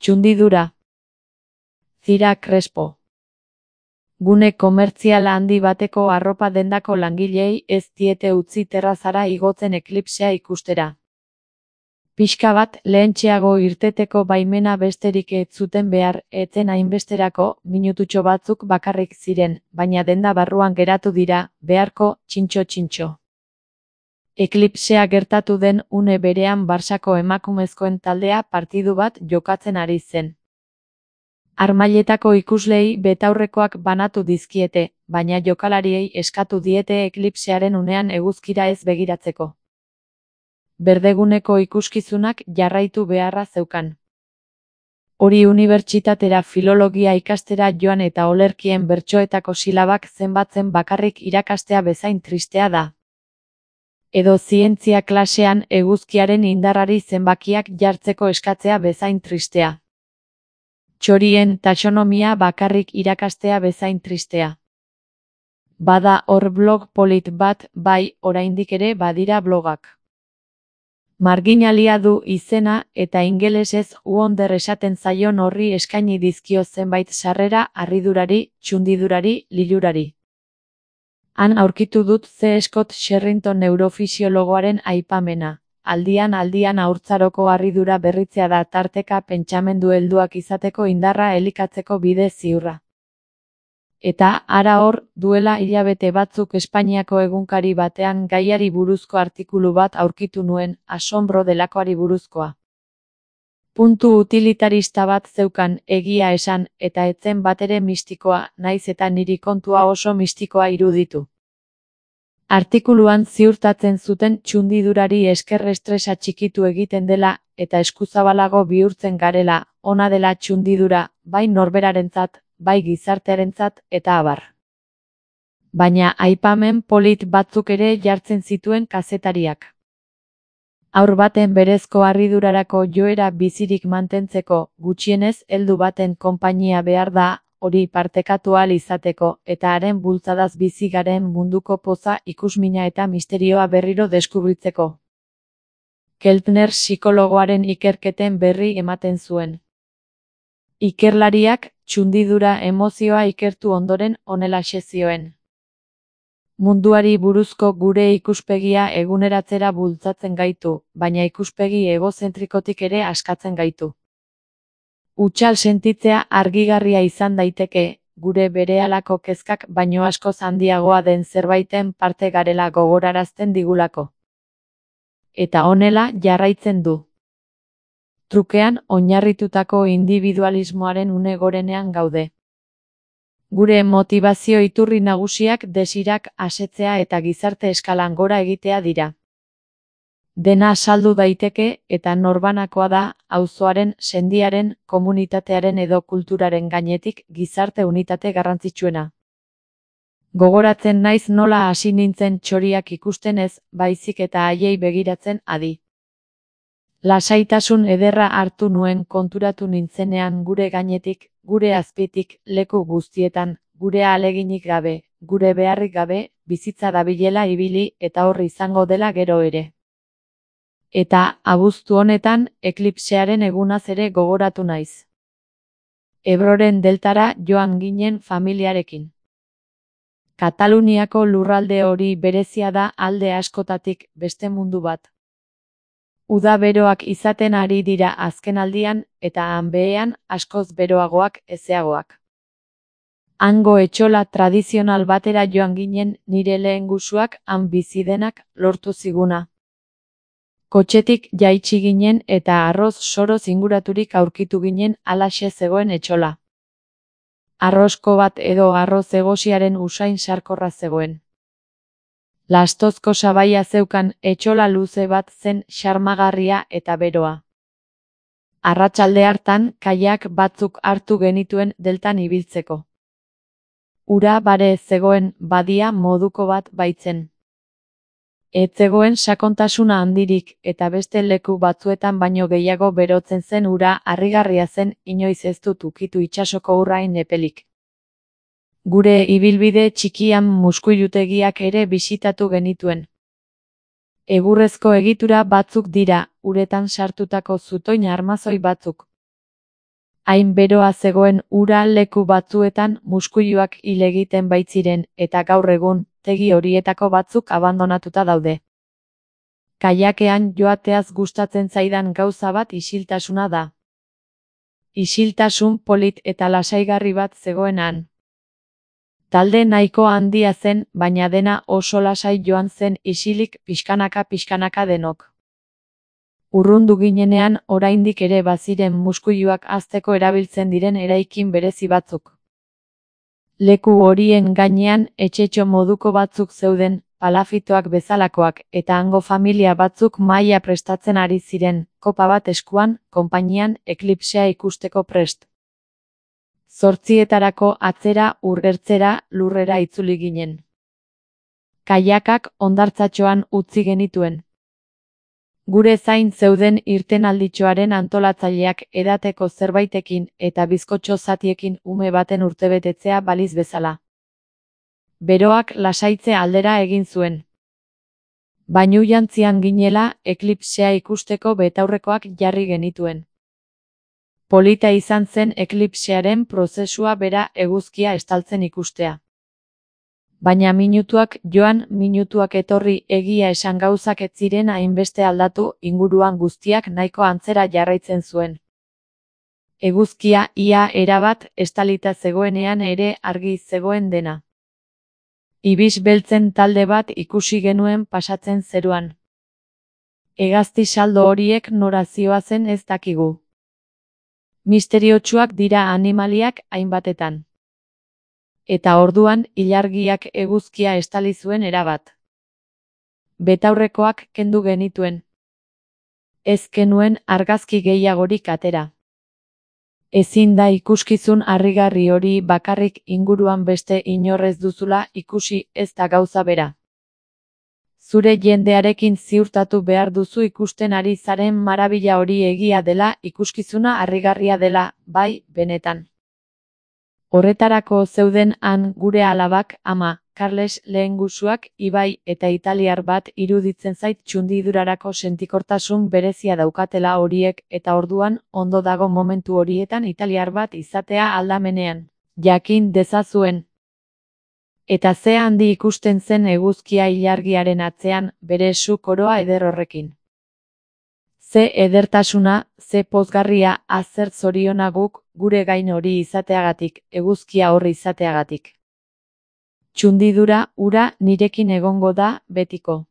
Txundidura. Zira Crespo. Gune komertzial handi bateko arropa dendako langileei ez diete utzi terrazara igotzen eklipsea ikustera. Pixka bat lehentxeago irteteko baimena besterik ez zuten behar, etzen hainbesterako, minututxo batzuk bakarrik ziren, baina denda barruan geratu dira, beharko, txintxo-txintxo. Eklipsea gertatu den une berean Barsako emakumezkoen taldea partidu bat jokatzen ari zen. Harmailetako ikuslei betaurrekoak banatu dizkiete, baina jokalariei eskatu diete eklipsearen unean eguzkira ez begiratzeko. Berdeguneko ikuskizunak jarraitu beharra zeukan. Hori unibertsitatera filologia ikastera joan eta olerkien bertsoetako silabak zenbatzen bakarrik irakastea bezain tristea da. Edo zientzia klasean eguzkiaren indarrari zenbakiak jartzeko eskatzea bezain tristea. Txorien taxonomia bakarrik irakastea bezain tristea. Bada hor blog polit bat, bai, oraindik ere badira blogak. Marginalia du izena eta ingelesez wonder esaten zaion horri eskaini dizkio zenbait sarrera harridurari, txundidurari, lilurari. Han aurkitu dut C. Scott Sherrington neurofisiologoaren aipamena. Aldian haurtzaroko harridura berritzea da tarteka pentsamendu helduak izateko indarra elikatzeko bide ziurra. Eta hara hor, duela hilabete batzuk Espainiako egunkari batean gaiari buruzko artikulu bat aurkitu nuen, asombro delakoari buruzkoa. Puntu utilitarista bat zeukan, egia esan, eta etzen batere mistikoa, naiz eta niri kontua oso mistikoa iruditu. Artikuluan ziurtatzen zuten txundidurari esker estresa txikitu egiten dela, eta eskuzabalago bihurtzen garela, ona dela txundidura, bai norberarentzat, bai gizartearentzat, eta abar. Baina aipamen polit batzuk ere jartzen zituen kazetariak. Haur baten berezko harridurarako joera bizirik mantentzeko, gutxienez heldu baten konpainia behar da, hori partekatu ahal izateko, eta haren bultzadaz bizi garen munduko poza, ikusmina eta misterioa berriro deskubritzeko. Keltner psikologoaren ikerketen berri ematen zuen. Ikerlariak, txundidura emozioa ikertu ondoren honelaxe zioen. Munduari buruzko gure ikuspegia eguneratzera bultzatzen gaitu, baina ikuspegi egozentrikotik ere askatzen gaitu. Hutsal sentitzea argigarria izan daiteke, gure berehalako kezkak baino askoz handiagoa den zerbaiten parte garela gogorarazten digulako. Eta honela jarraitzen du. Trukean oinarritutako individualismoaren une gorenean gaude. Gure motivazio iturri nagusiak desirak asetzea eta gizarte eskalan gora egitea dira. Dena saldu daiteke eta norbanakoa da, auzoaren, sendiaren, komunitatearen edo kulturaren gainetik gizarte unitate garrantzitsuena. Gogoratzen naiz nola hasi nintzen txoriak ikusten ez, baizik eta haiei begiratzen adi. Lasaitasun ederra hartu nuen konturatu nintzenean gure gainetik, gure azpitik, leku guztietan, gure ahaleginik gabe, gure beharrik gabe, bizitza dabilela ibili eta hor izango dela gero ere. Eta, abuztu honetan, eklipsearen egunaz ere gogoratu naiz. Ebroren deltara joan ginen familiarekin. Kataluniako lurralde hori berezia da alde askotatik, beste mundu bat. Uda beroak izaten ari dira azkenaldian, eta han behean askoz beroagoak ezeagoak. Hango etxola tradizional batera joan ginen nire lehengusuak han bizi denak lortu ziguna. Kotxetik jaitsi ginen eta arroz soroz inguraturik aurkitu ginen halaxe zegoen etxola. Arrosko bat edo arroz egosiaren usain sarkorra zegoen. Lastozko sabaia zeukan etxola luze bat zen xarmagarria eta beroa. Arratsalde hartan kaiak batzuk hartu genituen deltan ibiltzeko. Ura bare zegoen badia moduko bat baitzen. Ez zegoen sakontasuna handirik eta beste leku batzuetan baino gehiago berotzen zen ura harrigarria zen inoiz ez dut ukitu itsasoko urrain epelik. Gure ibilbide txikian muskuilutegiak ere bisitatu genituen. Egurrezko egitura batzuk dira, uretan sartutako zutoin armazoi batzuk. Hain beroa zegoen ura leku batzuetan muskuiluak hil egiten baitziren eta gaur egun tegi horietako batzuk abandonatuta daude. Kayakean joateaz gustatzen zaidan gauza bat isiltasuna da. Isiltasun polit eta lasaigarri bat zegoen han. Talde nahiko handia zen, baina dena oso lasai joan zen isilik pixkanaka denok. Urrundu ginenean oraindik ere baziren muskuiluak hazteko erabiltzen diren eraikin berezi batzuk. Leku horien gainean etxetxo moduko batzuk zeuden, palafitoak bezalakoak, eta hango familia batzuk mahaia prestatzen ari ziren, kopa bat eskuan, konpainian, eklipsea ikusteko prest. 8:00 atzera urgertzera lurrera itzuli ginen. Kaiakak hondartzatxoan utzi genituen. Gure zain zeuden irtenalditxoaren antolatzaileak edateko zerbaitekin eta bizkotxo zatiekin ume baten urtebetetzea baliz bezala. Beroak lasaitze aldera egin zuen. Bainujantzian ginela, eklipsea ikusteko betaurrekoak jarri genituen. Polita izan zen eklipsearen prozesua bera eguzkia estaltzen ikustea. Baina minutuak joan, minutuak etorri, egia esan gauzak ez ziren hainbeste aldatu, inguruan guztiak nahiko antzera jarraitzen zuen. Eguzkia ia erabat estalita zegoenean ere argi zegoen dena. Ibis beltzen talde bat ikusi genuen pasatzen zeruan. Hegazti saldo horiek nora zihoazen ez dakigu. Misteriotsuak dira animaliak hainbatetan. Eta orduan ilargiak eguzkia estali zuen erabat. Betaurrekoak kendu genituen. Ez genuen argazki gehiagorik atera. Ezin da ikuskizun harrigarri hori bakarrik inguruan beste inorrez duzula ikusi ez da gauza bera. Zure jendearekin ziurtatu behar duzu ikusten ari zaren marabila hori egia dela, ikuskizuna harrigarria dela, bai, benetan. Horretarako zeuden han gure alabak, ama, Carles lehengusuak, Ibai eta italiar bat iruditzen zait txundidurarako sentikortasun berezia daukatela horiek eta orduan ondo dago momentu horietan italiar bat izatea aldamenean. Jakin dezazuen. Eta ze handi ikusten zen eguzkia ilargiaren atzean, bere su koroa eder horrekin. Ze edertasuna, ze pozgarria, zer zoriona guk, gure gain hori izateagatik, eguzkia horri izateagatik. Txundidura, ura, nirekin egongo da, betiko.